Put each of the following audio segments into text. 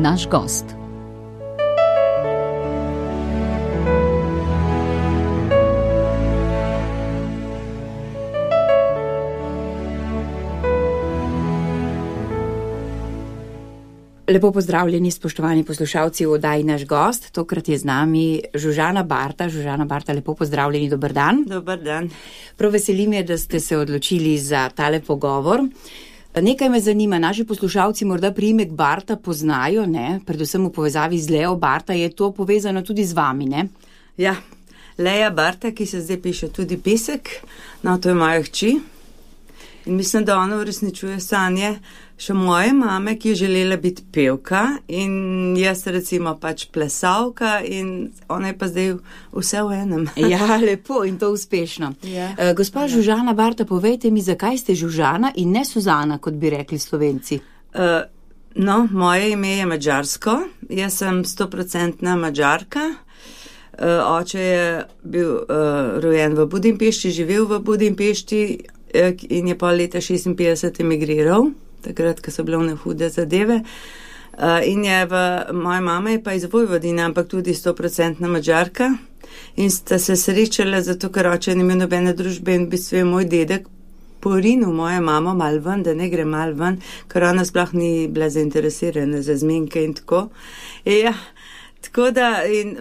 naš gost. Lepo pozdravljeni, spoštovani poslušalci v oddaji Naš gost. Tokrat je z nami Žužana Barta. Žužana Barta, lepo pozdravljeni, dober dan. Dober dan. Prav veseli me, da ste se odločili za tale pogovor. Nekaj me zanima, naši poslušalci morda priimek Barta poznajo, ne? Predvsem v povezavi z Leo Barta, je to povezano tudi z vami, ne? Ja, Lea Barta, ki se zdaj piše tudi Pesek, no, to je moja hči. In mislim, da ona uresničuje sanje še moje mame, ki je želela biti pevka in jaz recimo pač plesalka in ona je pa zdaj vse v enem. Ja, lepo in to uspešno. Ja. Gospa Žužana Barta, povejte mi, zakaj ste Žužana in ne Suzana, kot bi rekli Slovenci? No, moje ime je madžarsko, jaz sem 100% Madžarka. Oče je bil rojen v Budimpešti, živel v Budimpešti in je pol leta 56 emigriral, takrat, ko so bile one hude zadeve. In moja mama je pa iz Vojvodine, ampak tudi 100% Madžarka. In sta se srečala, zato ker oče ni imel nobene družbe in v bistvu je moj dedek porinil mojo mamo mal ven, da ne gre mal ven, ker ona sploh ni bila zainteresirana za zmenke in tako. Ja, tako da, in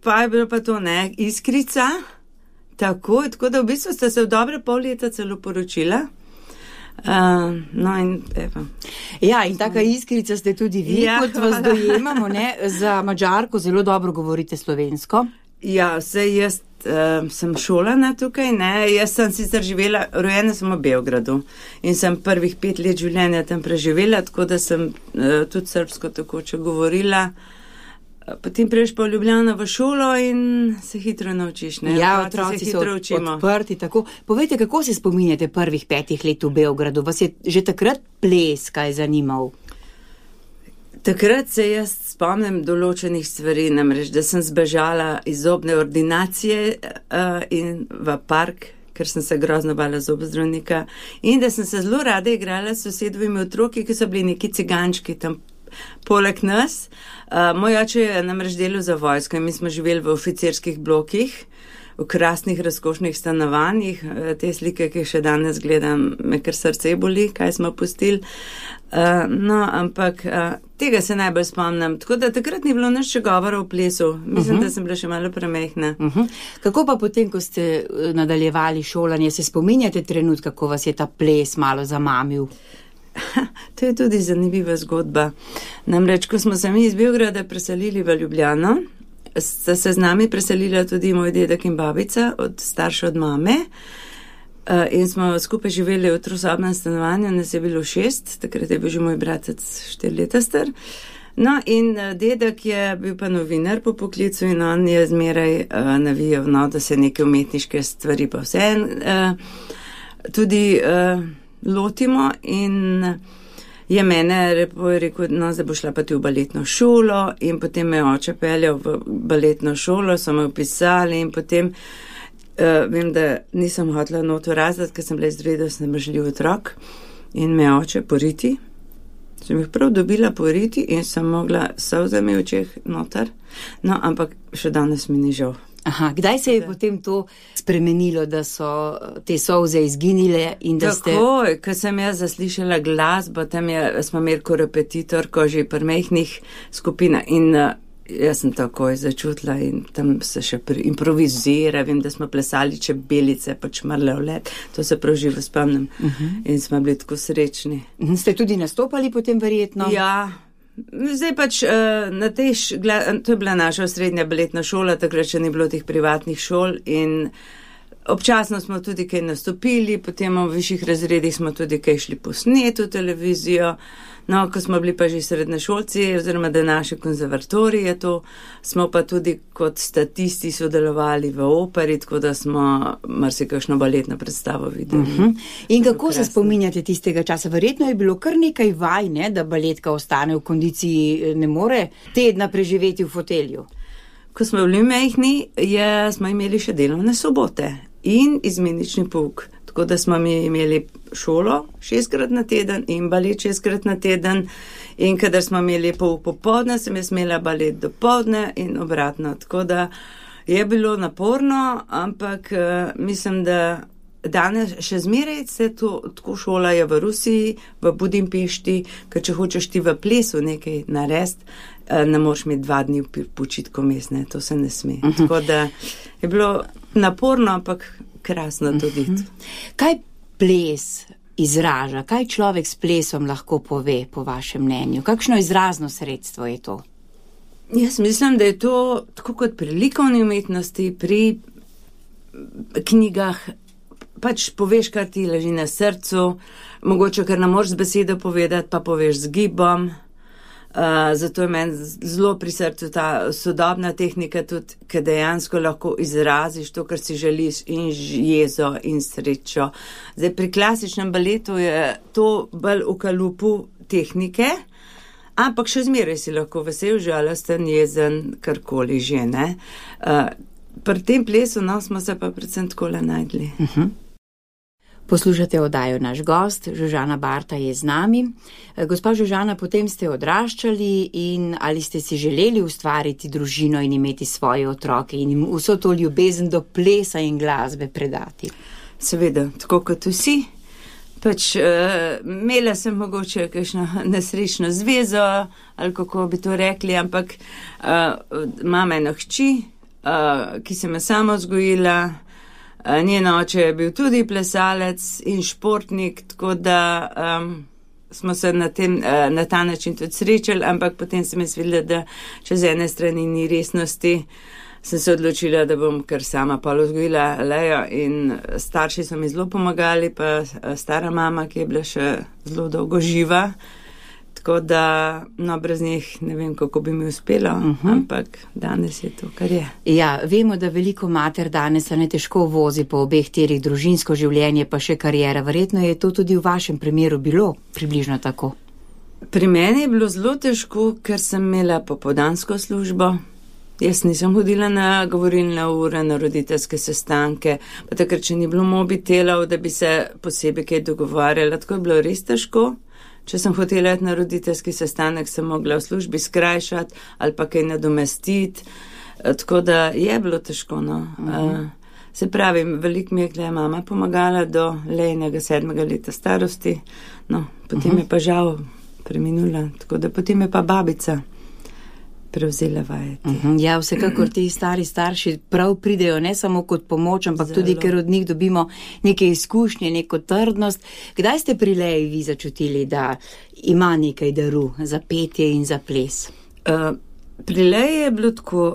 pa je bilo pa to, ne, iskrica, tako da v bistvu sta se v dobre pol leta celo poročila. No in evo. Ja, in taka iskrica ste tudi vi, ja, kot vas dojemamo, ne? Za Madžarko zelo dobro govorite slovensko. Ja, vse jaz sem šolana tukaj, ne? Jaz sem sicer živela, rojena sem v Beogradu in sem prvih 5 let življenja tam preživela, tako da sem tudi srbsko takoče govorila. Potem prejš pa v Ljubljano v šolo in se hitro naučiš, ne? Ja, otroci so odprti, tako. Povejte, kako se spominjate prvih 5 let v Beogradu? Vas je že takrat ples kaj zanimal? Takrat se jaz spomnim določenih stvari, namreč, da sem zbežala iz zobne ordinacije in v park, ker sem se grozno bala zobozdravnika, in da sem se zelo rada igrala s sosedovimi otroki, ki so bili neki cigančki tam poleg nas. Moj oče je namreč delal za vojsko in mi smo živeli v oficirskih blokih, v krasnih, razkošnih stanovanjih. Te slike, ki še danes gledam, me kar srce boli, kaj smo pustili. No, ampak tega se najbolj spomnim. Tako da takrat ni bilo nič govora o plesu. Mislim, da sem bila še malo premehna. Kako pa potem, ko ste nadaljevali šolanje, se spominjate trenutka, ko vas je ta ples malo zamamil? To je tudi zanimiva zgodba. Namreč, ko smo se mi iz Beograda preselili v Ljubljano, sta se z nami preselila tudi moj dedek in babica, starša od mame, in smo skupaj živeli v trosobnem stanovanju, nas je bilo 6, takrat je bil že moj bratec 4 leta star. No, in dedek je bil pa novinar po poklicu in on je zmeraj navijal, no, da se neke umetniške stvari pa vse tudi lotimo in je mene rekel, no, zdaj bo šla pa ti v baletno šolo in potem me oče peljal v baletno šolo, so me upisali in potem vem, da nisem hotela not v razred, ker sem bila izredno snemožljiv otrok in me oče poriti. Sem jih prav dobila poriti in sem mogla solzami v očeh noter, no, ampak še danes mi ni žal. Aha, kdaj se je potem to spremenilo, da so te solze izginile in da ste... Takoj, ko sem jaz zaslišala glasbo, tam smo imeli korepetitorko že pri mehnih skupinah in jaz sem takoj začutila in tam se še improvizira, vem, da smo plesali čebelice, pač mrle v let, to se prav živo spomnim in smo bili tako srečni. Ste tudi nastopali potem verjetno? Ja. Zdaj pač to je bila naša srednja baletna šola, takrat še ni bilo teh privatnih šol in občasno smo tudi kaj nastopili, potem v višjih razredih smo tudi kaj šli posnet v televizijo. No, ko smo bili pa že srednješolci, oziroma da naše konzervatorije to, smo pa tudi kot statisti sodelovali v operi, tako da smo marsikakšno baletno predstavo videli. In kako se spominjate tistega časa? Verjetno je bilo kar nekaj vaj, ne, da baletka ostane v kondiciji, ne more tedna preživeti v fotelju. Ko smo bili mehni, smo imeli še delovne sobote in izmenični pouk. Tako da smo mi imeli šolo 6-krat na teden in balet 6-krat na teden. In kadar smo imeli pouk popoldne, sem jaz imela balet dopoldne in obratno. Tako da je bilo naporno, ampak mislim, da danes še zmeraj se to tako šola je v Rusiji, v Budimpešti, ker če hočeš ti v plesu nekaj narediti, ne moreš imeti 2 dni v počitku mesne, to se ne sme. Tako da je bilo naporno, ampak krasno tudi. Kaj ples izraža? Kaj človek s plesom lahko pove, po vašem mnenju? Kakšno izrazno sredstvo je to? Jaz mislim, da je to tako kot pri likovni umetnosti, pri knjigah, pač poveš, kar ti leži na srcu, mogoče, ker ne moreš z besedo povedati, pa poveš z gibom. Zato je meni zelo pri srcu ta sodobna tehnika tudi, ker dejansko lahko izraziš to, kar si želiš, in jezo in srečo. Zdaj, pri klasičnem baletu je to bolj v kalupu tehnike, ampak še zmeraj si lahko vesel, žalosten, jezen, karkoli že, ne. Pri tem plesu, no, smo se pa predvsem takole najdli. Poslušate oddajo Naš gost, Žužana Barta je z nami. Gospa Žužana, potem ste odraščali in ali ste si želeli ustvariti družino in imeti svoje otroke in jim vso to ljubezen do plesa in glasbe predati? Seveda, tako kot vsi. Pač imela sem mogoče kakšno nesrečno zvezo, ali kako bi to rekli, ampak imam eno hči, ki sem jo sama vzgojila. Njen oče je bil tudi plesalec in športnik, tako da smo se na ta način tudi srečali, ampak potem sem jaz videla, da če z ene strani ni resnosti, sem se odločila, da bom kar sama pol vzgojila Lejo in starši so mi zelo pomagali, pa stara mama, ki je bila še zelo dolgo živa. Tako da, no, brez njih ne vem, kako bi mi uspelo, ampak danes je to, kar je. Ja, vemo, da veliko mater danes se ne težko vozi po obeh tirih, družinsko življenje pa še karijera. Verjetno je to tudi v vašem primeru bilo približno tako. Pri meni je bilo zelo težko, ker sem imela popoldansko službo. Jaz nisem hodila na govorilne ure, na roditeljske sestanke, pa takrat, če ni bilo mobitelov, da bi se posebej kaj dogovarjala, tako je bilo res težko. Če sem hotela iti na roditeljski sestanek, sem mogla v službi skrajšati ali pa kaj nadomestiti, tako da je bilo težko, no. Se pravi, veliko mi je mama pomagala do Lejnega 7. leta starosti, no, potem je pa žal preminula, tako da potem je pa babica prevzela vajeti. Ja, vsekakor ti stari starši prav pridejo ne samo kot pomoč, ampak tudi, ker od njih dobimo neke izkušnje, neko trdnost. Kdaj ste pri Leji vi začutili, da ima nekaj daru za petje in za ples? Pri Leji je bilo tako,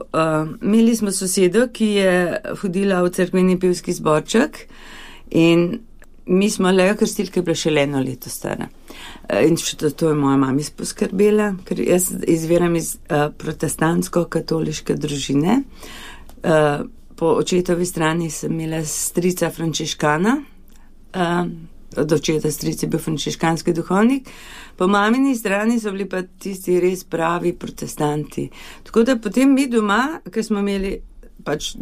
imeli smo sosedo, ki je hodila v cerkveni pevski zborček in mi smo Lejo krstili, ker je bila še 1 leto stara. In še to je moja mami poskrbela, ker jaz izviram iz protestantsko-katoliške družine. Po očetovi strani sem imela strica frančiškana, od očeta stric je bil frančiškanski duhovnik, po mamini strani so bili pa tisti res pravi protestanti. Tako da potem mi doma, ker smo imeli, pač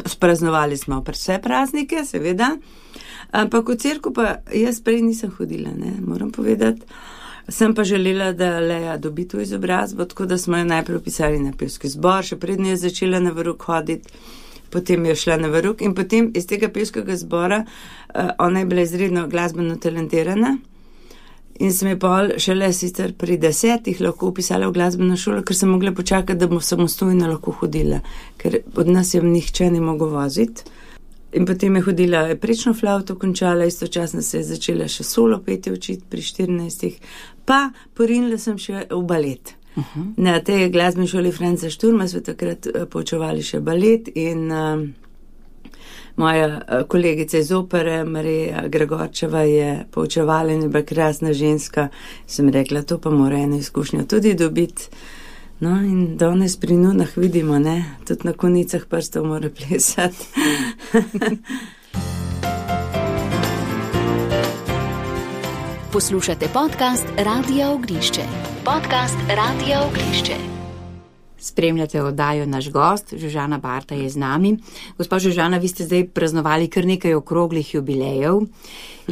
spraznovali smo vse praznike, seveda, ampak v cerkev pa jaz prej nisem hodila, ne, moram povedati. Sem pa želela, da Leja dobi to izobrazbo, tako da smo jo najprej vpisali na pevski zbor, še prednjo je začela na veruk hoditi, potem je šla na veruk in potem iz tega pevskega zbora, ona je bila izredno glasbeno talentirana in sem je pol šele sicer pri 10 lahko vpisala v glasbeno šolo, ker sem mogla počakati, da bom samostojno lahko hodila, ker od nas je nihče ne mogel voziti. In potem je hodila prečno flavto, končala, istočasno se je začela še solo petje učiti pri 14, pa porinila sem še v balet. Na tej glasbeni šoli Franca Šturma smo takrat poučevali še balet in moja kolegica iz opere, Marija Gregorčeva, je poučevala in je bila krasna ženska. Sem rekla, to pa mora eno izkušnjo tudi dobiti. No, in danes pri nunah vidimo, ne, tudi na konicah prstov mora plesati. Poslušate podcast Radia Oglišče. Podcast Radia Oglišče. Spremljate oddajo Naš gost, Žužana Barta je z nami. Gospa Žužana, vi ste zdaj praznovali kar nekaj okroglih jubilejev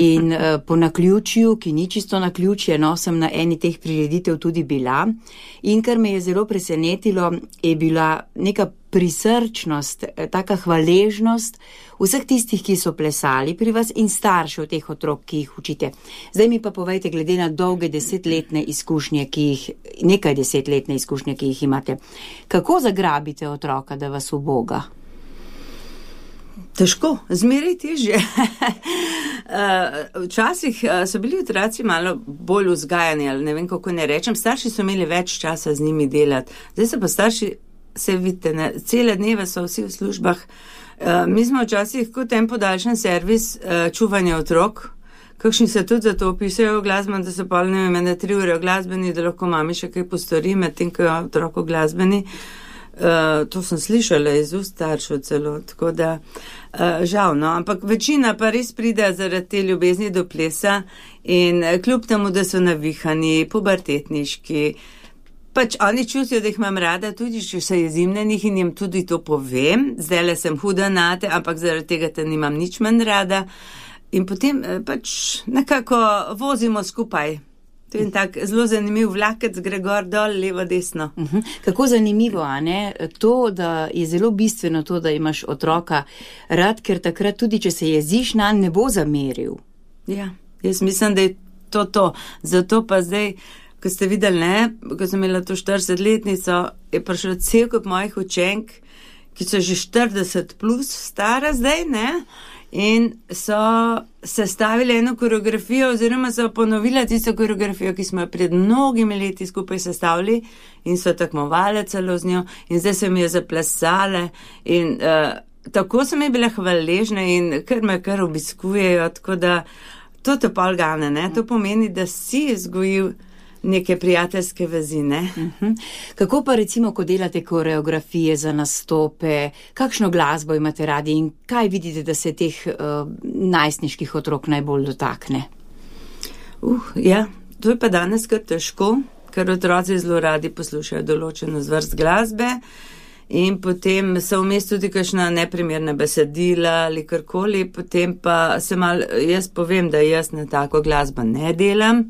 in po naključju, ki ni čisto naključje, sem na eni teh prireditev tudi bila in kar me je zelo presenetilo, je bila neka prisrčnost, taka hvaležnost vseh tistih, ki so plesali pri vas in staršev teh otrok, ki jih učite. Zdaj mi pa povejte, glede na dolge nekaj desetletne izkušnje, ki jih imate, kako zagrabite otroka, da vas uboga? Težko, zmeraj težje. Včasih so bili otroci malo bolj vzgajani, ali ne vem, kako ne rečem, starši so imeli več časa z njimi delati. Zdaj se pa starši, se vidite, ne, cele dneve so vsi v službah. Mi smo včasih kot en podaljšan servis čuvanja otrok, kakšni se tudi za to opisajo v glasbeno, da so pol, ne vem, 3 ure v glasbeni, da lahko mami še kaj postori, medtem ko je otrok v glasbeni. To sem slišala iz ust staršev celo, tako da žal, no, ampak večina pa res pride zaradi te ljubezni do plesa in kljub temu, da so navihani, pubertetniški, pač oni čutijo, da jih imam rada, tudi če se jezim na njih in jim tudi to povem, zdajle sem huda nate, ampak zaradi tega te nimam nič manj rada in potem pač nekako vozimo skupaj. To je tak zelo zanimiv vlakec, gre gor, dol, levo, desno. Kako zanimivo, a ne? To, da je zelo bistveno to, da imaš otroka rad, ker takrat tudi, če se jeziš nanj, ne bo zameril. Ja, jaz mislim, da je to. Zato pa zdaj, ko ste videli, ne, ko sem imela to 40-letnico, je prišlo cel kup mojih učenk, ki so že 40 plus stara zdaj, ne, in so sestavili eno koreografijo oziroma so ponovila tisto koreografijo, ki smo jo pred mnogimi leti skupaj sestavili in so tekmovali celo z njo in zdaj se mi je zaplesale in tako so mi bile hvaležne in kar obiskujejo, tako da to te pol gane, ne, to pomeni, da si izgojil neke prijateljske vezi, ne. Kako pa recimo, ko delate koreografije za nastope, kakšno glasbo imate radi in kaj vidite, da se teh najstniških otrok najbolj dotakne? Ja, to je pa danes kar težko, ker otroci zelo radi poslušajo določeno zvrst glasbe in potem so vmes tudi kakšna neprimerna besedila ali karkoli, potem pa se malo, jaz povem, da jaz na tako glasbo ne delam,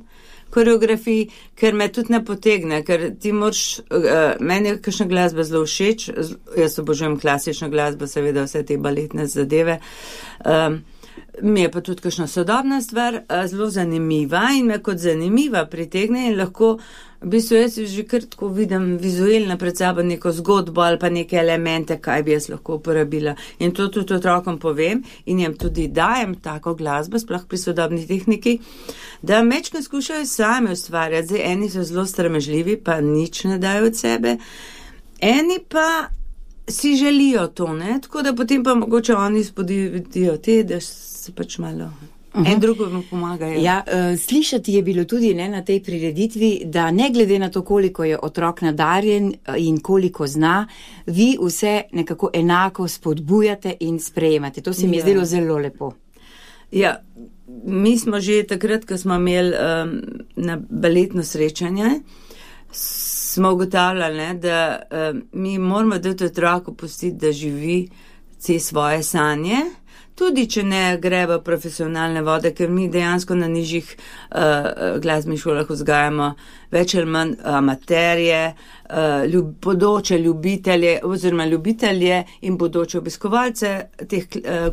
koreografiji, ker me tudi ne potegne, ker ti moraš, meni je kakšna glasba zelo všeč, jaz obožujem klasično glasbo, seveda vse te baletne zadeve, mi je pa tudi kakšna sodobna stvar zelo zanimiva in me kot zanimiva pritegne in lahko, v bistvu jaz že kar tako vidim vizualno pred sabo neko zgodbo ali pa neke elemente, kaj bi jaz lahko uporabila. In to tudi otrokom povem in jim tudi dajem tako glasbo, sploh pri sodobni tehniki, da mečko skušajo sami ustvarjati. Zdaj, eni so zelo sramežljivi, pa nič ne dajo od sebe, eni pa si želijo to, ne, tako da potem pa mogoče oni spodbudijo te, da se pač malo en drugemu pomagajo. Ja, slišati je bilo tudi, ne, na tej prireditvi, da ne glede na to, koliko je otrok nadarjen in koliko zna, vi vse nekako enako spodbujate in sprejemate. To se mi je zdelo zelo lepo. Ja, mi smo že takrat, ko smo imeli na baletno srečanje, smo ugotavljali, da mi moramo dati otroku pustiti, da živi vse svoje sanje, tudi če ne gre v profesionalne vode, ker mi dejansko na nižjih glasbenih šolah vzgajamo več ali manj amaterje, bodoče ljubitelje oziroma ljubitelje in bodoče obiskovalce teh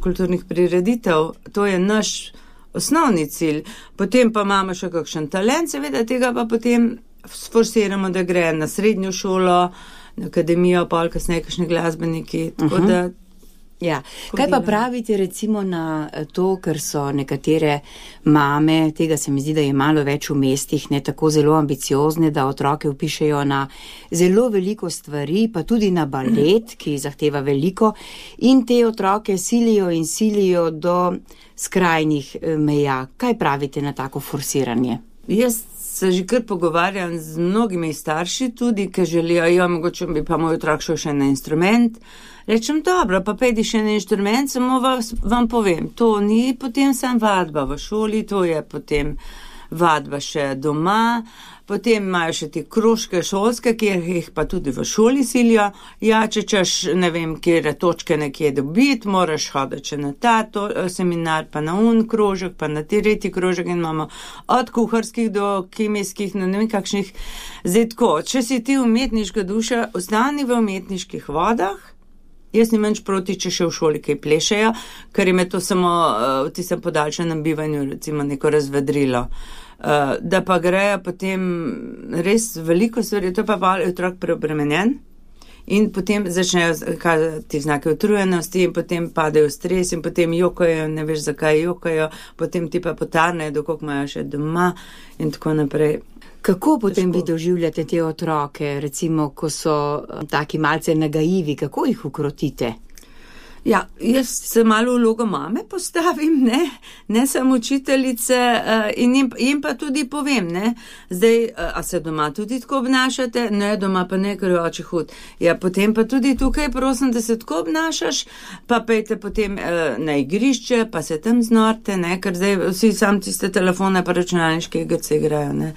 kulturnih prireditev. To je naš osnovni cilj. Potem pa imamo še kakšen talent, seveda tega pa potem sforsiramo, da gre na srednjo šolo, na akademijo, pol kasneje kakšni glasbeniki, tako da ja. Kaj pa pravite recimo na to, ker so nekatere mame, tega se mi zdi, da je malo več v mestih, ne tako zelo ambiciozne, da otroke vpišejo na zelo veliko stvari, pa tudi na balet, ki zahteva veliko, in te otroke silijo do skrajnih meja. Kaj pravite na tako forsiranje? Jaz se že kar pogovarjam z mnogimi starši tudi, ki želijo, mogoče bi pa moj otrok šel še na instrument. Rečem, dobro, pa pejdi še na inštrument, samo vam povem, to ni potem sam vadba v šoli, to je potem vadba še doma, potem imajo še te krožke šolske, ki jih pa tudi v šoli silijo. Ja, če češ, ne vem, kje točke nekje dobiti, moraš hoditi še na ta seminar, pa na krožek, pa na tretji krožek in imamo od kuharskih do kemijskih, no ne vem kakšnih. Zdaj tako, če si ti umetniška duša, ostani v umetniških vodah. Jaz nimam nič proti, če še v šoli kaj plešejo, ker jim je to samo v tistem podaljšanem bivanju, recimo neko razvedrilo. Da pa grejo potem res veliko stvari, to pa je otrok preobremenjen in potem začnejo kazati znake utrujenosti in potem padejo v stres in potem jokajo, ne veš zakaj jokajo, potem ti pa potarnejo, dokok imajo še doma in tako naprej. Kako potem vi doživljate te otroke, recimo, ko so taki malce nagajivi, kako jih ukrotite? Ja, jaz se malo vlogo mame postavim, ne samo učiteljice in jim pa tudi povem, ne, zdaj, a se doma tudi tako obnašate? Ne, doma pa ne, ker je oči hud. Ja, potem pa tudi tukaj prosim, da se tako obnašaš, pa pejte potem na igrišče, pa se tam znorte, ne, ker zdaj vsi sam tiste telefone pa računalniške igrice igrajo, ne.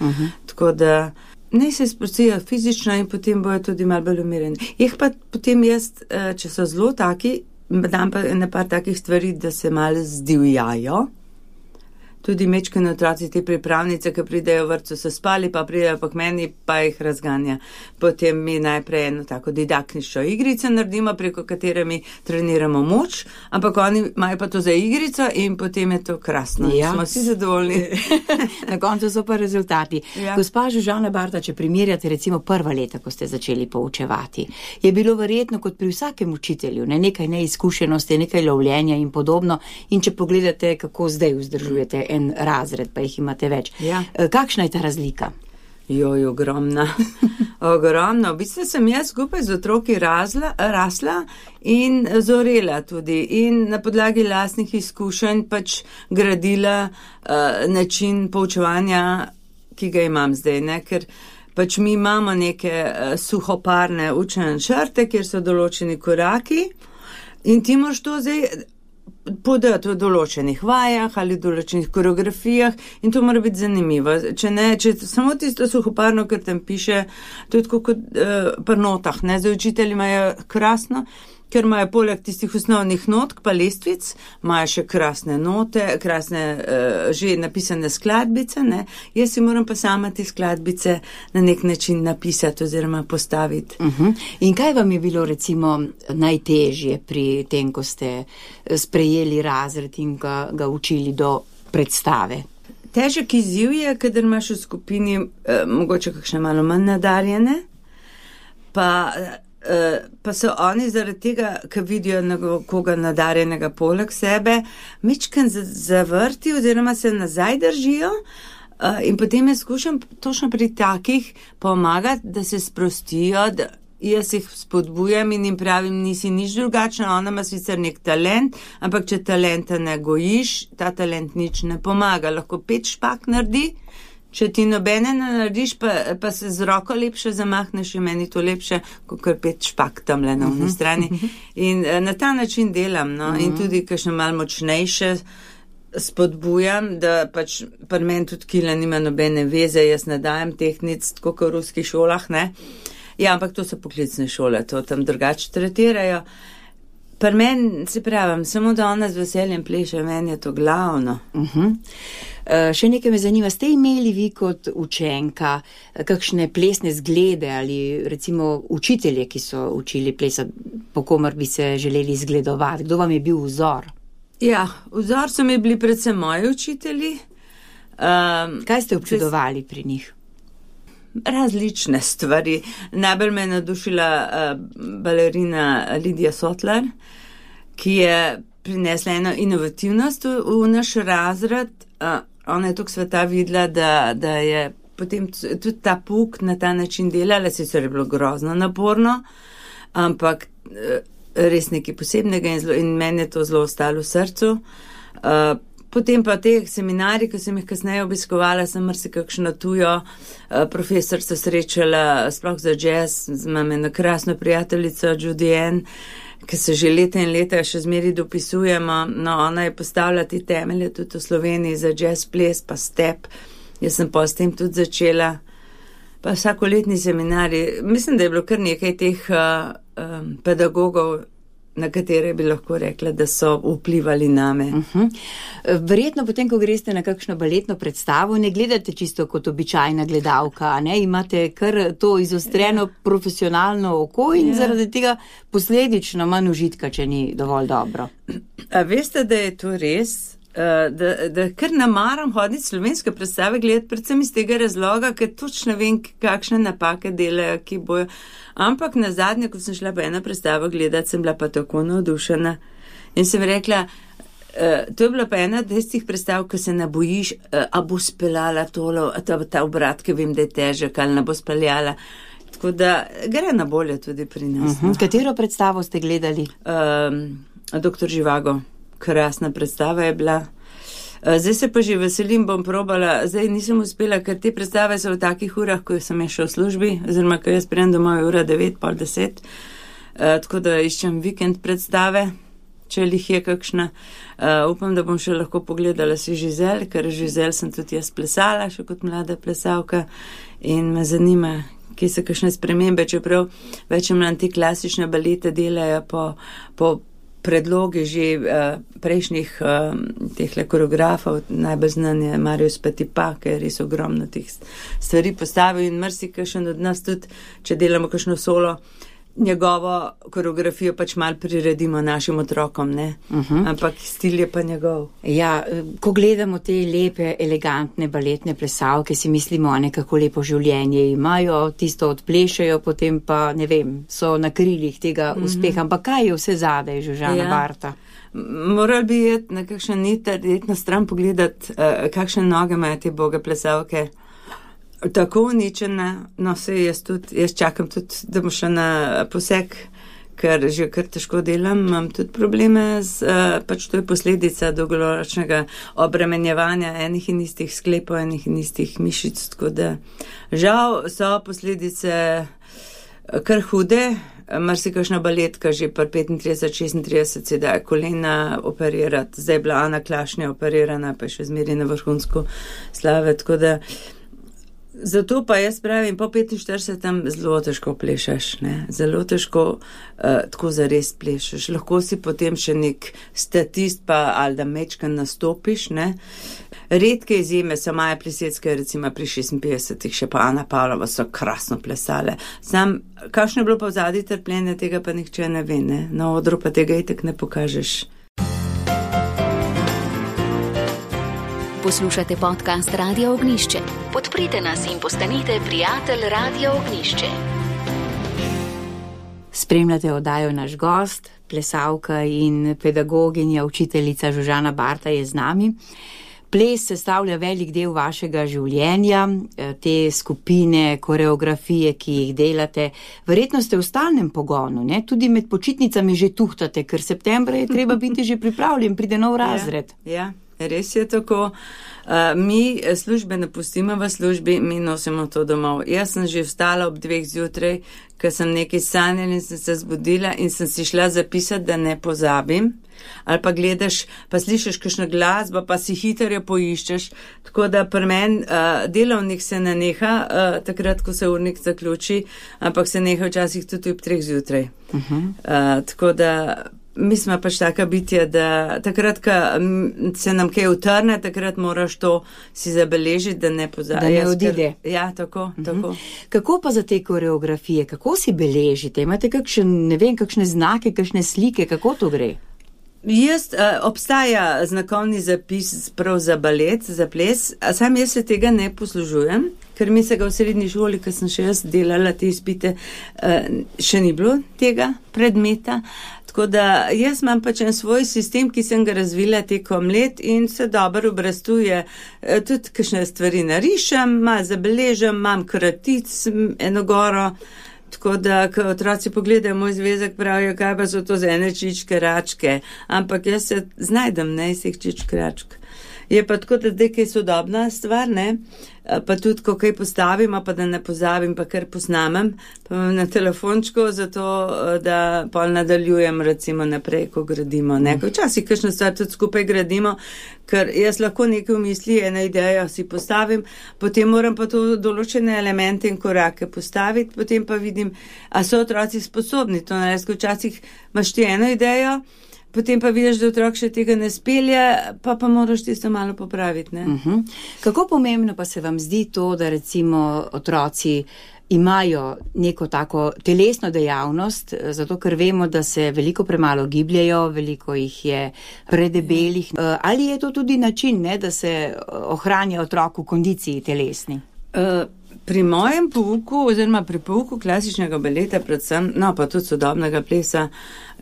Tako da ne se sprostijo fizično in potem bojo tudi malo bolj umirjeni. Jih pa potem jaz, če so zelo taki, dam pa na par takih stvari, da se malo zdivjajo. Tudi mečkani otroci, te pripravnice, ki pridejo v vrtcu, so spali, pa pridejo pa k meni, pa jih razganja. Potem mi najprej eno tako didaktično igrico naredimo, preko katere mi treniramo moč, ampak oni imajo pa to za igrico in potem je to krasno. Ja. Smo vsi zadovoljni. Na koncu so pa rezultati. Ja. Gospa Žužana Barta, če primerjate recimo prva leta, ko ste začeli poučevati, je bilo verjetno kot pri vsakem učitelju, nekaj neizkušenosti, nekaj lovljenja in podobno. In če pogledate, kako zdaj vzdržujete en razred, pa jih imate več. Ja. Kakšna je ta razlika? Ogromna. Ogromno. V bistvu sem jaz skupaj z otroki rasla in zorela tudi in na podlagi lastnih izkušenj pač gradila način poučevanja, ki ga imam zdaj, ne, ker pač mi imamo neke suhoparne učne načrte, kjer so določeni koraki in ti moraš to zdaj podati v določenih vajah ali določenih koreografijah in to mora biti zanimivo. Če samo tisto suhoparno, ker tam piše, to je tako kot pri notah, ne, za učitelji imajo krasno, ker imajo poleg tistih osnovnih notk pa lestvic, imajo še krasne note, krasne že napisane skladbice, ne. Jaz si moram pa sama te skladbice na nek način napisati oziroma postaviti. In kaj vam je bilo recimo najtežje pri tem, ko ste sprejeli razred in ga učili do predstave? Težek izziv je, kadar imaš v skupini mogoče kakšne malo manj nadarjene, pa so oni zaradi tega, ker vidijo koga nadarjenega poleg sebe, mičken zavrti oziroma se nazaj držijo in potem jaz skušam točno pri takih pomagati, da se sprostijo, da jaz jih spodbujam in jim pravim, nisi nič drugačna, ona ima sicer nek talent, ampak če talenta ne gojiš, ta talent nič ne pomaga, lahko 5 špak naredi. Če ti nobene ne narediš, pa se z roko lepše zamahneš, je meni to lepše, kot 5 špak tamle na oni strani. In na ta način delam, no, in tudi kakšno malo močnejše spodbujam, da pač pri meni tudi kila nima nobene veze, jaz ne dajem tehnic, tako kot v ruskih šolah, ne. Ja, ampak to so poklicne šole, to tam drugače tretirajo. Pri meni, se pravim, samo da ona z veseljem pleše, meni je to glavno. Še nekaj me zanima, ste imeli vi kot učenka kakšne plesne zglede ali recimo učitelje, ki so učili plesati, po komer bi se želeli zgledovati? Kdo vam je bil vzor? Ja, vzor so mi bili predvsem moji učitelji. Kaj ste občudovali pri njih? Različne stvari. Najbolj me je navdušila balerina Lidija Sotlar, ki je prinesla eno inovativnost v naš razred. Ona je toliko sveta videla, da je potem tudi ta pouk na ta način delala, sicer je bilo grozno naporno, ampak res nekaj posebnega in meni je to zelo ostalo v srcu. Potem pa teh seminarij, ki sem jih kasneje obiskovala, sem marsikakšno tujo profesorstvo srečala, sploh za jazz, imam eno krasno prijateljico Judy Ann, ki se že leta in leta še zmeri dopisujemo, no ona je postavila te temelje tudi v Sloveniji za jazz ples pa step, jaz sem pa s tem tudi začela pa vsakoletni seminarji. Mislim, da je bilo kar nekaj teh pedagogov, na katere bi lahko rekla, da so vplivali name. Verjetno potem, ko greste na kakšno baletno predstavo, ne gledate čisto kot običajna gledalka, ne? Imate kar to izostreno profesionalno oko in zaradi tega posledično manj užitka, če ni dovolj dobro. A veste, da je to res? Da kar namaram hoditi slovenske predstave gledati, predvsem iz tega razloga, ker točno vem, kakšne napake delajo, ki bojo. Ampak na zadnje, ko sem šla pa eno predstavo gledati, sem bila pa tako navdušena in sem rekla, to je bila pa ena tistih predstav, ko se ne bojiš, a bo speljala tolo, ta obrat, ki vem, da je težek, ali ne bo speljala. Tako da gre na bolje tudi pri nas. Katero predstavo ste gledali? Doktor Živago. Krasna predstava je bila. Zdaj se pa že veselim, bom probala, zdaj nisem uspela, ker te predstave so v takih urah, ko sem še v službi, oziroma ko jaz prijem domov je ura 9, pol 10, tako da iščem vikend predstave, če jih je kakšna. Upam, da bom še lahko pogledala si Žizel, ker Žizel sem tudi jaz plesala, še kot mlada plesalka in me zanima, kje so kakšne spremembe, čeprav več manj te klasične balete delajo po predloge že prejšnjih tehle koreografov, najbolj znan je Marius Petipa, ker je res ogromno teh stvari postavil in marsikakšen od nas tudi, če delamo kakšno solo, njegovo koreografijo pač mal priredimo našim otrokom, ne? Ampak stil je pa njegov. Ja, ko gledamo te lepe, elegantne baletne plesalke, si mislimo, nekako lepo življenje imajo, tisto odplešajo, potem pa, ne vem, so na krilih tega uspeha. Ampak kaj je vse zadaj, Žužana Barta? Moral bi jeti na kakšen iti na stran pogledati, kakšne noge imajo te boge plesalke. Tako uničena, no se jaz čakam tudi, da bom šla na poseg, ker že kar težko delam, imam tudi probleme pač to je posledica dolgoročnega obremenjevanja enih in istih sklepov, enih in istih mišic, tako da žal so posledice kar hude, marsikakšna baletka že pri 35-36 se da kolena operirati, zdaj je bila Ana Klašnja operirana, pa je še zmeri na vrhunsko slave, tako da zato pa jaz pravim, po 45 zelo težko plešaš, ne? Zelo težko tako zares plešaš. Lahko si potem še nek statist pa ali da mečkan nastopiš, ne? Redke izjeme so Maja Plisetska, recimo pri 56-ih, še pa Ana Pavlova so krasno plesale. Sam, kakšno je bilo pa v zadnji trpljenje, tega pa nihče ne ve, ne? Na odru pa tega itak ne pokažeš. Poslušate podcast Radio Ognjišče. Podprite nas in postanite prijatelj Radio Ognjišče. Spremljate oddajo Naš gost, plesalka in pedagoginja, učiteljica Žužana Barta je z nami. Ples sestavlja velik del vašega življenja, te skupine, koreografije, ki jih delate. Verjetno ste v stalnem pogonu, ne? Tudi med počitnicami že tuhtate, ker septembra je treba biti že pripravljen, pride nov razred. Ja. Res je tako. Mi službe ne pustimo v službi, mi nosimo to domov. Jaz sem že vstala ob 2 zjutraj, ker sem nekaj sanjala in sem se zbudila in sem si šla zapisati, da ne pozabim. Ali pa gledaš, pa slišiš kakšno glasbo, pa si hitro poiščeš. Tako da pri meni delovnik se ne neha, takrat, ko se urnik zaključi, ampak se neha včasih tudi ob 3 zjutraj. Tako da mi smo pač taka bitja, da takrat, ko se nam kaj utrne, takrat moraš to si zabeležiti, da ne pozabiš. Da ne odide. Ja, tako. Kako pa za te koreografije, kako si beležite? Imate kakšne znake, kakšne slike, kako to gre? Obstaja znakovni zapis prav za balet, za ples, a sam jaz se tega ne poslužujem, ker mi se ga v srednji šoli, ko sem še jaz delala te izpite, še ni bilo tega predmeta. Tako da jaz imam pač en svoj sistem, ki sem ga razvila tekom let in se dobro obrastuje. Tudi kakšne stvari narišem, malo zabeležem, imam kratic, eno goro. Tako da, ko otroci pogledajo moj zvezek, pravijo, kaj pa so to za ene čičke, račke. Ampak jaz se znajdem, ne, iz teh čičk, račk. Je pa tako, da zdaj kaj sodobna stvar, ne? Pa tudi, ko kaj postavim, pa da ne pozabim, pa kar posnamem, pa imam na telefončku, zato da pol nadaljujem recimo naprej, ko gradimo. Včasih kakšno stvar tudi skupaj gradimo, ker jaz lahko nekaj v misli, eno idejo si postavim, potem moram pa to določene elemente in korake postaviti, potem pa vidim, a so otroci sposobni to narediti. Včasih imaš ti eno idejo, potem pa vidiš, da otrok še tega ne spelje, pa moraš tisto malo popraviti. Ne? Kako pomembno pa se vam zdi to, da recimo otroci imajo neko tako telesno dejavnost, zato ker vemo, da se veliko premalo gibljajo, veliko jih je predebelih. Ali je to tudi način, ne, da se ohranja otrok v kondiciji telesni? Pri mojem pouku, oziroma pri pouku klasičnega baleta predvsem, pa tudi sodobnega plesa,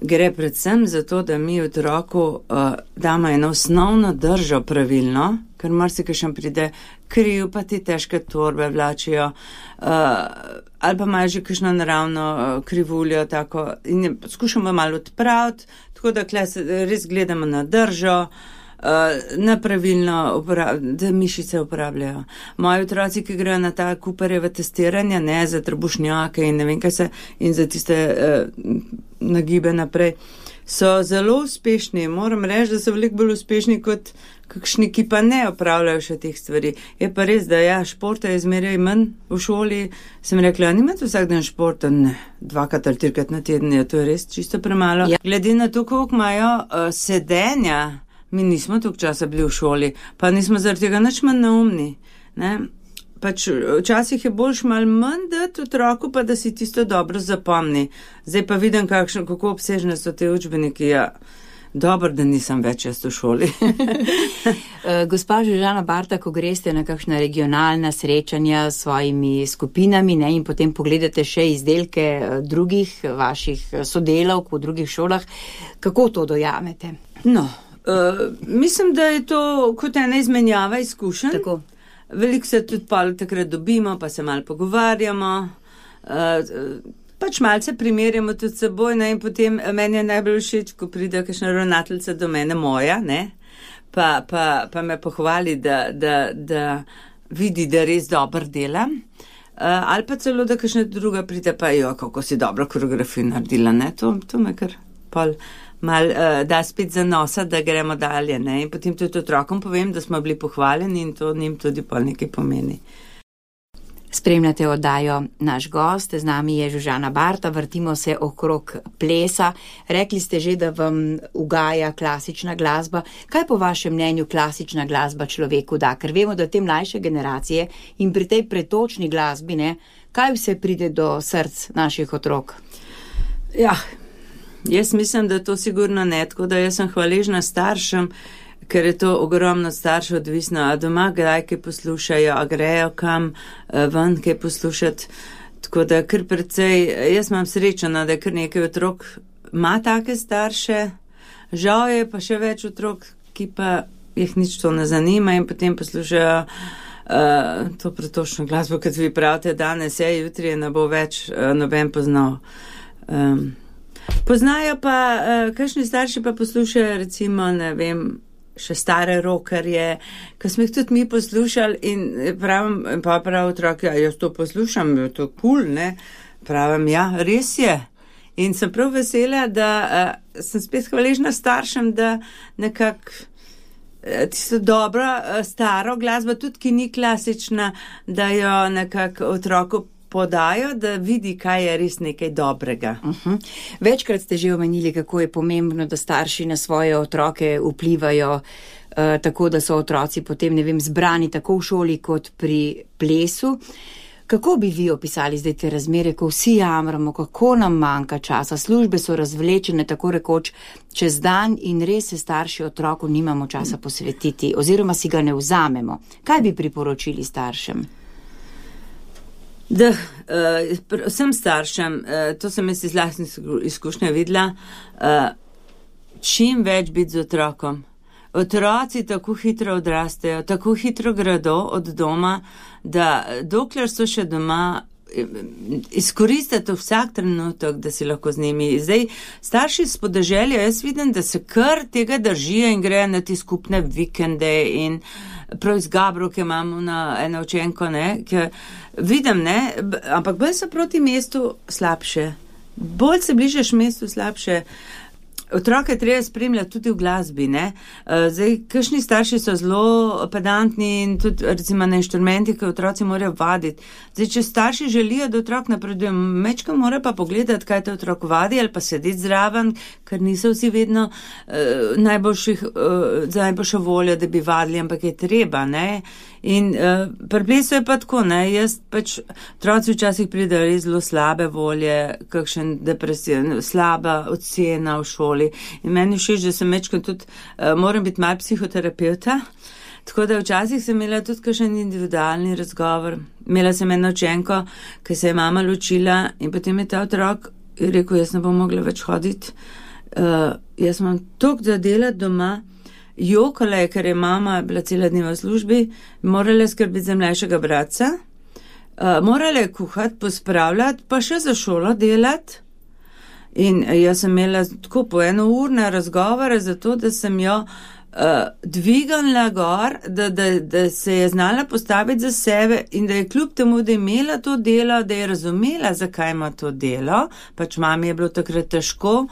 gre predvsem za to, da mi otroku damo eno osnovno držo pravilno, ker marsikaj pride kriv, pa ti težke torbe vlačijo, ali pa imajo že kakšno naravno krivuljo, tako, in skušamo malo odpraviti, tako da res gledamo na držo, nepravilno, da mišice uporabljajo. Moji otroci, ki grejo na ta Cooperjeva testiranja, ne, za trebušnjake in ne vem kaj se, in za tiste nagibe naprej, so zelo uspešni. Moram reči, da so veliko bolj uspešni kot kakšni, ki pa ne opravljajo še teh stvari. Je pa res, da športa je zmeraj manj v šoli. Sem rekla, nimate vsak dan športa? Ne, 2 ali 3 na teden, to je res čisto premalo. Ja. Glede na to, koliko imajo sedenja, mi nismo toliko časa bili v šoli, pa nismo zaradi tega nič manj neumni. Ne? Pač včasih je boljš malo manj dati otroku, pa da si tisto dobro zapomni. Zdaj pa vidim, kako obsežne so te učbeniki. Dobro, da nisem več jaz v šoli. Gospa Žužana Barta, ko greste na kakšna regionalna srečanja s svojimi skupinami, ne, in potem pogledate še izdelke drugih vaših sodelavk v drugih šolah, kako to dojamete? Mislim, da je to kot ena izmenjava izkušenj. Tako. Veliko se tudi takrat dobimo, pa se malo pogovarjamo, pač malce primerjamo tudi seboj, ne, in potem meni je najbolj všeč, ko pride kakšna ravnateljica do mene moja, ne, pa me pohvali, da vidi, da res dobro delam, ali pa celo, da kakšna druga pride, pa kako si dobro koreografijo naredila, ne, to me kar pol da spet zanosa, da gremo dalje, ne, in potem tudi otrokom povem, da smo bili pohvaljeni in to njim tudi pol nekaj pomeni. Spremljate oddajo Naš gost, z nami je Žužana Barta, vrtimo se okrog plesa. Rekli ste že, da vam ugaja klasična glasba. Kaj po vašem mnenju klasična glasba človeku da? Ker vemo, da te mlajše generacije in pri tej pretočni glasbi, ne, kaj vse pride do src naših otrok? Jaz mislim, da to sigurno ne, tako da jaz sem hvaležna staršem, ker je to ogromno staršev odvisno, a doma kdaj kaj poslušajo, a grejo kam ven kaj poslušati, tako da kar precej, jaz imam srečo, da je kar nekaj otrok ima take starše, žal je pa še več otrok, ki pa jih nič to ne zanima in potem poslušajo to pretočno glasbo, kot vi pravite danes, jutri je ne bo več noben poznal. Poznajo pa, kakšni starši pa poslušajo recimo, ne vem, še stare rockerje, ko smo jih tudi mi poslušali in prav otrok, jaz to poslušam, je to cool, ne, pravim, res je. In sem prav vesela, da sem spet hvaležna staršem, da nekako tisto dobro, staro glasbo, tudi ki ni klasična, da jo nekako otroku podajo, da vidi, kaj je res nekaj dobrega. Večkrat ste že omenili, kako je pomembno, da starši na svoje otroke vplivajo tako, da so otroci potem, ne vem, zbrani tako v šoli kot pri plesu. Kako bi vi opisali zdaj te razmere, ko vsi jamramo, kako nam manjka časa, službe so razvlečene tako rekoč čez dan in res se starši otroku nimamo časa posvetiti oziroma si ga ne vzamemo. Kaj bi priporočili staršem? Da, vsem staršem, to sem jaz iz lastnih izkušnje videla, čim več biti z otrokom. Otroci tako hitro odrastejo, tako hitro gredo od doma, da dokler so še doma, izkoristiti vsak trenutek, da si lahko z njimi. Zdaj, starši s podeželja, jaz vidim, da se kar tega držijo in grejo na ti skupne vikende in prav iz Gabru, ki imamo eno učenko, ne, ki vidim, ne, ampak bolj so proti mestu slabše. Bolj se bližaš mestu slabše. Otroke treba spremljati tudi v glasbi, ne. Zdaj, kakšni starši so zelo pedantni in tudi recimo na inštrumentih, ki otroci morajo vaditi. Zdaj, če starši želijo, da otrok napreduje, mečka mora pa pogledati, kaj te otrok vadi ali pa sedeti zraven, ker niso vsi vedno za najboljšo voljo, da bi vadili, ampak je treba, ne. In pri plesu je pa tako, ne, jaz pač, otroci včasih pridejo res zelo slabe volje, kakšen depresiv, slaba ocena v šoli. In meni všeč, da sem mečkam tudi, moram biti malo psihoterapeuta, tako da včasih sem imela tudi kakšen individualni razgovor. Imela sem eno učenko, ki se je mama ločila in potem je ta otrok rekel, jaz ne bom mogla več hoditi, jaz imam toliko za delati doma. Jokala je, ker je mama bila cela dneva v službi, morala skrbiti za mlajšega bratca, morala je kuhati, pospravljati, pa še za šolo delati. In jaz sem imela tako po 1 urne razgovore za to, da sem jo dvignila gor, da se je znala postaviti za sebe in da je kljub temu, da je imela to delo, da je razumela, zakaj ima to delo, pač mami je bilo takrat težko,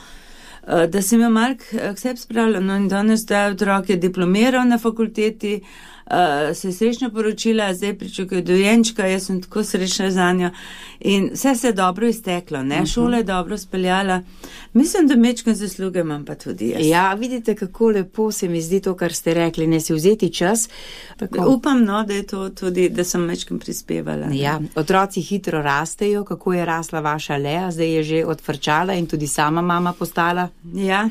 da sem jo malo k sebi spravila. No in danes ta otrok je diplomiral na fakulteti, se je srečno poročila, zdaj pričakuje dojenčka, jaz sem tako srečna za njo in vse se je dobro izteklo, ne, šola je dobro speljala. Mislim, da mečkam zasluge imam pa tudi jaz. Ja, vidite, kako lepo se mi zdi to, kar ste rekli, ne si vzeti čas. Tako. Upam, no, da je to tudi, da sem mečkam prispevala. Ja, otroci hitro rastejo, kako je rasla vaša Lea, zdaj je že odfrčala in tudi sama mama postala. Ja,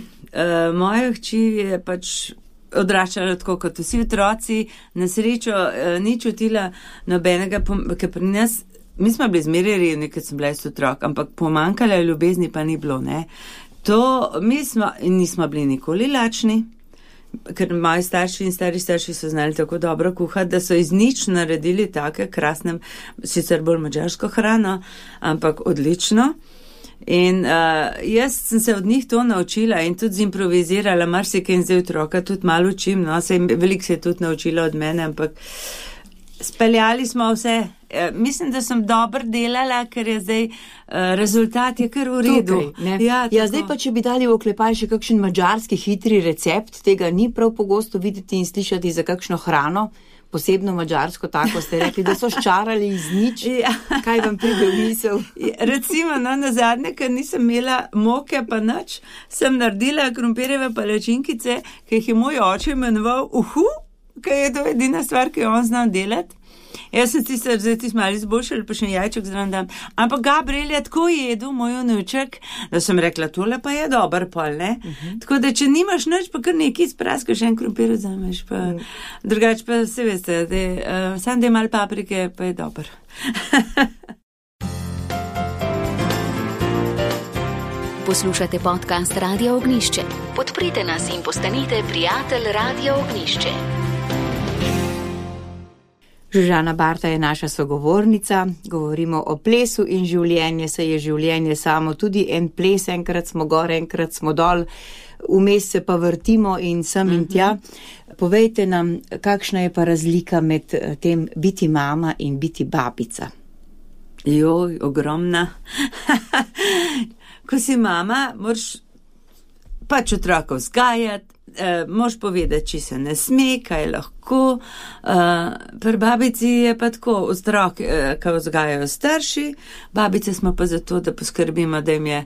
moja hči je pač odraščala tako kot vsi otroci, na srečo ni čutila nobenega, ker pri nas, mi smo bili zmeraj revni, ker sem bila jaz otrok, ampak pomanjkala ljubezni pa ni bilo, ne. Nismo bili nikoli lačni, ker moji starši in stari starši so znali tako dobro kuhati, da so iz nič naredili take krasne, sicer bolj madžarsko hrano, ampak odlično. In jaz sem se od njih to naučila in tudi zimprovizirala, marsikaj in zdaj otroka tudi malo učim, no, veliko se je tudi naučila od mene, ampak speljali smo vse. Mislim, da sem dobro delala, ker je zdaj rezultat je kar v redu. Tukaj, ja, zdaj pa, če bi dali v oklepaj še kakšen madžarski hitri recept, tega ni prav pogosto videti in slišati za kakšno hrano, posebno madžarsko, tako ste rekli, da so ščarali iz nič. Ja. Kaj vam pride v misel? Recimo, no, na zadnje, ker nisem imela moke pa nič, sem naredila krompirjeve palačinkice, ki jih je moj oče imenoval ker je to edina stvar, ki jo on znal delati. Jaz sem zdaj malo izboljšala, pa še jajček zraven dam. Ampak Gabriel je tako jedel, moj vnuček, da sem rekla, tole pa je dober pol, ne? Tako da, če nimaš nič, pa kar nekaj spraskaš, en krompir vzameš, pa drugače pa se veste, sam da je malo paprike, pa je dober. Poslušate podcast Radio Ognišče. Podprite nas in postanite prijatelj Radio Ognišče. Žužana Barta je naša sogovornica, govorimo o plesu in življenje, saj je življenje samo tudi en ples, enkrat smo gor, enkrat smo dol, vmes se pa vrtimo in sem in tja. Povejte nam, kakšna je pa razlika med tem biti mama in biti babica? Joj, ogromna. Ko si mama, moraš pač otroka vzgajati, moraš povedati, če se ne sme, kaj lahko. Pri babici je pa tako, otrok, ki vzgajajo starši, babice smo pa zato, da poskrbimo, da jim je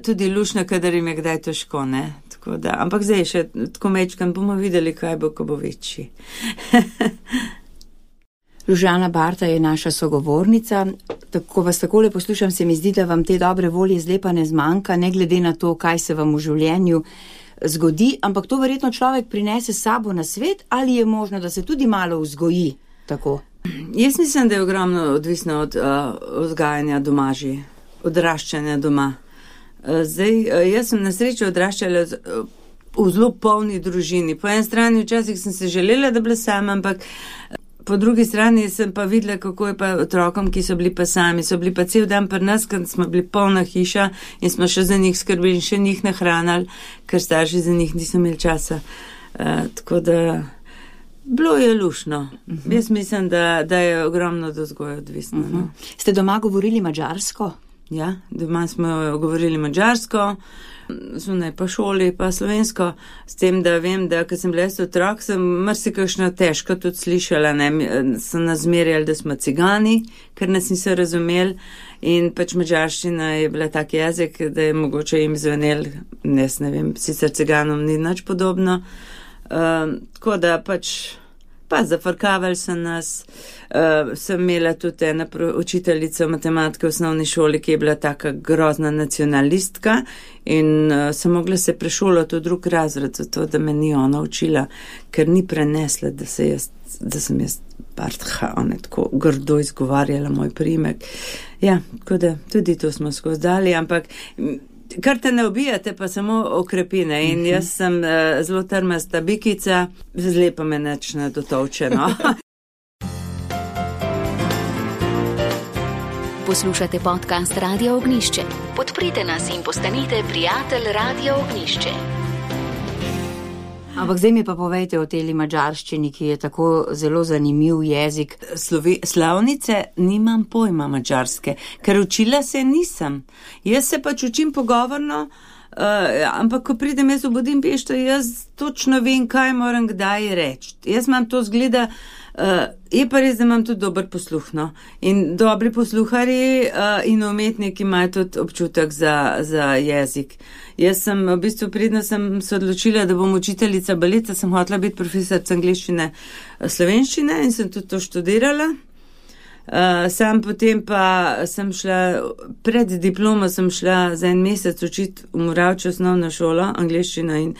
tudi lušno, kadar jim je kdaj težko, ne. Tako da, ampak zdaj še tako mečkam, bomo videli, kaj bo, ko bo večji. Žužana Barta je naša sogovornica. Ko vas takole poslušam, se mi zdi, da vam te dobre volje zdaj pa ne zmanjka, ne glede na to, kaj se vam v življenju zgodi, ampak to verjetno človek prinese s sabo na svet, ali je možno, da se tudi malo vzgoji tako? Jaz mislim, da je ogromno odvisno od vzgajanja doma že, odraščanja doma. Zdaj, jaz sem na srečo odraščala v zelo polni družini. Po eni strani včasih sem se želela, da bila sama, ampak po drugi strani sem pa videla, kako je pa otrokom, ki so bili pa sami, so bili pa cel dan pri nas, ker smo bili polna hiša in smo še za njih skrbeli in še njih nahranali, ker starši za njih niso imeli časa. Tako da bilo je lušno. Jaz mislim, da je ogromno do vzgoja odvisno. No. Ste doma govorili madžarsko? Ja, doma smo govorili madžarsko, zunaj pa šoli, pa slovensko, s tem, da vem, da ko sem bila otrok, sem marsikakšno težko tudi slišala, ne, so nas zmerjali, da smo cigani, ker nas niso razumeli in pač madžarščina je bila tak jezik, da je mogoče jim zvenel, ne vem, sicer ciganom ni nič podobno, tako da pač pa zafrkavali so nas, sem imela tudi ena učiteljica matematike v osnovni šoli, ki je bila taka grozna nacionalistka in sem mogla se prešolati v drug razred, zato da me ni ona učila, ker ni prenesla, da sem jaz Bartha, ona je tako grdo izgovarjala moj priimek. Ja, tako da tudi to smo skozi dali, ampak kar te ne ubijate, pa samo okrepine. In jaz sem zelo trmasta bikica, zlepa me neč ne dotovče, no. Poslušate podcast Radio Ognjišče. Podprite nas in postanite prijatelj Radio Ognjišče. Ampak zdaj mi pa povejte o teli madžarščini, ki je tako zelo zanimiv jezik. Slavnice nimam pojma madžarske, ker učila se nisem. Jaz se pač učim pogovorno, ampak ko pridem jaz v Budimpešto, jaz točno vem, kaj moram kdaj reči. Jaz imam to zgleda, je pa res, da imam tudi dober posluh, no. In dobri posluharji in umetniki imajo tudi občutek za jezik. Jaz sem v bistvu pridno sem se odločila, da bom učiteljica baleta, sem hotela biti profesorica angleščine, slovenščine in sem tudi to študirala. Sam potem pa sem šla, pred diplomo sem šla za en mesec učiti v Moravče osnovno šolo, angleščino in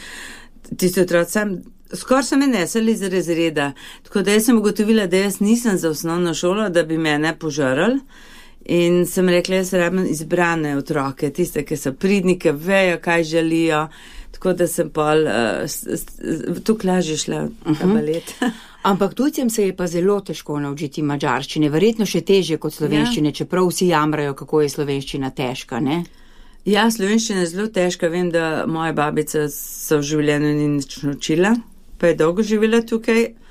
tisti otroci skoraj so me neseli iz razreda. Tako da jaz sem ugotovila, da jaz nisem za osnovno šolo, da bi mene požarali. In sem rekla, jaz rabim izbrane otroke, tiste, ki so pridni, ki vejo, kaj želijo. Tako da sem pol tukaj lažje šla v balet. Ampak tujcem se je pa zelo težko naučiti madžarščine, verjetno še težje kot slovenščine, čeprav vsi jamrajo, kako je slovenščina težka, ne? Ja, slovenščina je zelo težka. Vem, da moja babica se v življenju ni nič naučila, pa je dolgo živela tukaj.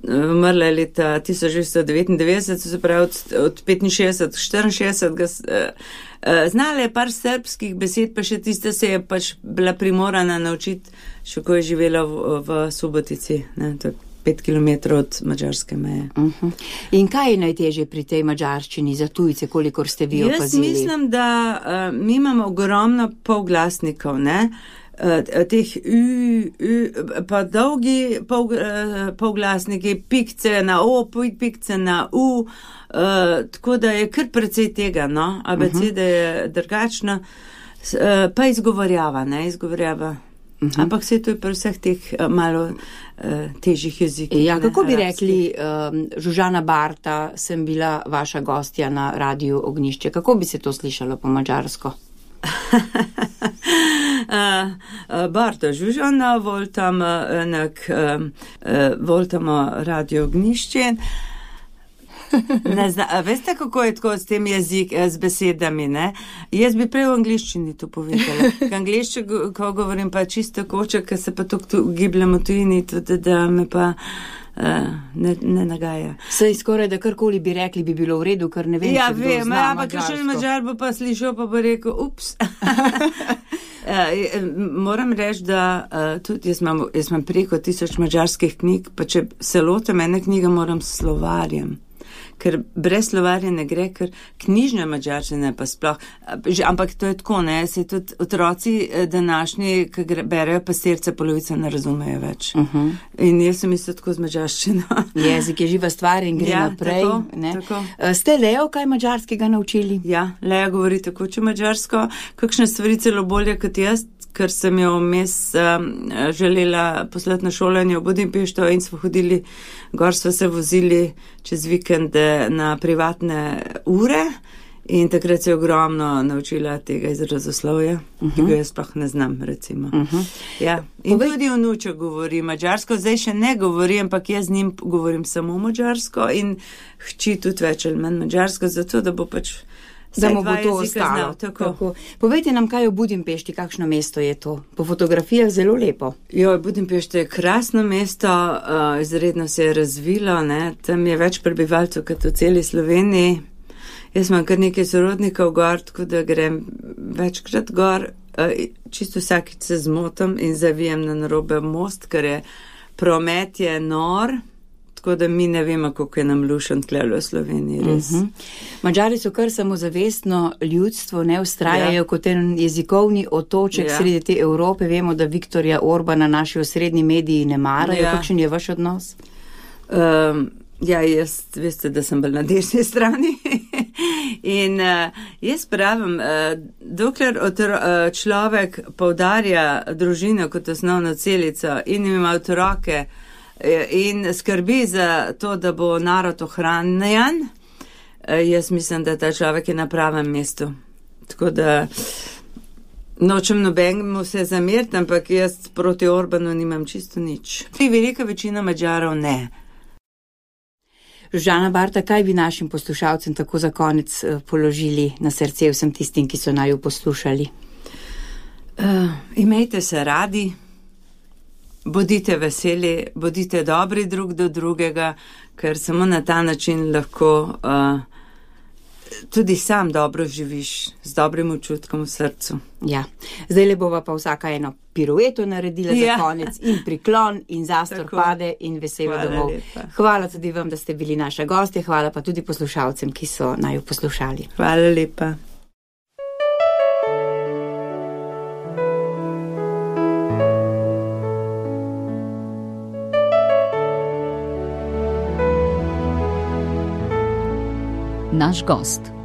Umrla je leta 1999, se pravi od 65 64, znala je par srbskih besed, pa še tiste se je pač bila primorana naučiti, še ko je živela v Subotici, ne, to je 5 kilometrov od madžarske meje. In kaj je najtežje pri tej madžarščini za tujce, kolikor ste vi opazili? Jaz mislim, da mi imamo ogromno polglasnikov, ne, teh pa dolgi polglasniki, pikce na o, pikce na u, tako da je kar precej tega, no, abeceda je drugačna, pa izgovorjava, ne, izgovorjava. Ampak vse to je pri vseh teh malo težjih jezikih. Ja, kako bi rekli, Žužana Barta, sem bila vaša gostja na Radiu Ognjišče, kako bi se to slišalo po madžarsko? Barta Žužana, voltam Radio Ognjišče. Veste, kako je tako s tem z besedami, ne? Jaz bi prej v angliščini to povedala. Anglišče, ko govorim pa čisto koče, ker se pa tako gibljem v tujini, tudi da me pa ne nagaja. Saj skoraj, da karkoli bi rekli, bi bilo v redu, ker ne vem, ja, če kdo zna madžarsko. Ampak še madžar bo pa slišal, pa bo rekel, ups. Moram reči, da tudi jaz imam preko 1000 madžarskih knjig, pa če se lotim ene knjige, moram s slovarjem. Ker brez slovarja ne gre, ker knjižna madžarščina pa sploh, ampak to je tako, ne, se tudi otroci današnji, ki berejo pastirce, polovica ne razumejo več. In jaz sem isto tako z madžarščino. Jezik je živa stvar in gre naprej. Tako, ne? Tako. Ste Leo kaj madžarskega naučili? Ja, Lea govori tako če madžarsko, kakšne stvari celo bolje kot jaz, ker sem jo vmes želela poslati na šolanje v Budimpešto in smo hodili, gor smo se vozili čez vikende na privatne ure In takrat se je ogromno naučila tega izrazoslovja, ki ga jaz sploh ne znam, recimo. Ja. In tudi vnuček govori mađarsko, zdaj še ne govori, ampak jaz z njim govorim samo mađarsko in hči tudi več ali manj mađarsko, zato da bo pač da mu bo to ostalo. Tako. Povejte nam, kaj je v Budimpešti, kakšno mesto je to? Po fotografijah zelo lepo. Budimpešta je krasno mesto, izredno se je razvilo, ne? Tam je več prebivalcev kot v celi Sloveniji. Jaz imam kar nekaj sorodnikov gor, tako da grem večkrat gor, čisto vsakič se zmotam in zavijem na narobe most, ker je promet je nor, tako da mi ne vemo, koliko je nam lušen tlele v Sloveniji, res. Mađari so kar samozavestno ljudstvo, ne ustrajajo kot en jezikovni otoček sredi te Evrope. Vemo, da Viktorja Orbana naši osrednji mediji ne marajo. Kakšen je vaš odnos? Jaz, veste, da sem bolj na desni strani in jaz pravim, dokler človek poudarja družino kot osnovno celico in ima otroke in skrbi za to, da bo narod ohranjen, jaz mislim, da ta človek je na pravem mestu. Tako da nočem nobenemu se zameriti, ampak jaz proti Orbanu nimam čisto nič. Velika večina Mađarov ne. Žana Barta, kaj bi našim poslušalcem tako za konec položili na srce vsem tistim, ki so naju poslušali? Imejte se radi, bodite veseli, bodite dobri drug do drugega, ker samo na ta način lahko tudi sam dobro živiš, z dobrim občutkom v srcu. Ja, zdaj le bova pa vsaka eno pirueto naredila za konec in priklon in zastor tako pade in veselo domov. Hvala tudi vam, da ste bili naša gostja, hvala pa tudi poslušalcem, ki so naju poslušali. Hvala lepa. Naš gost.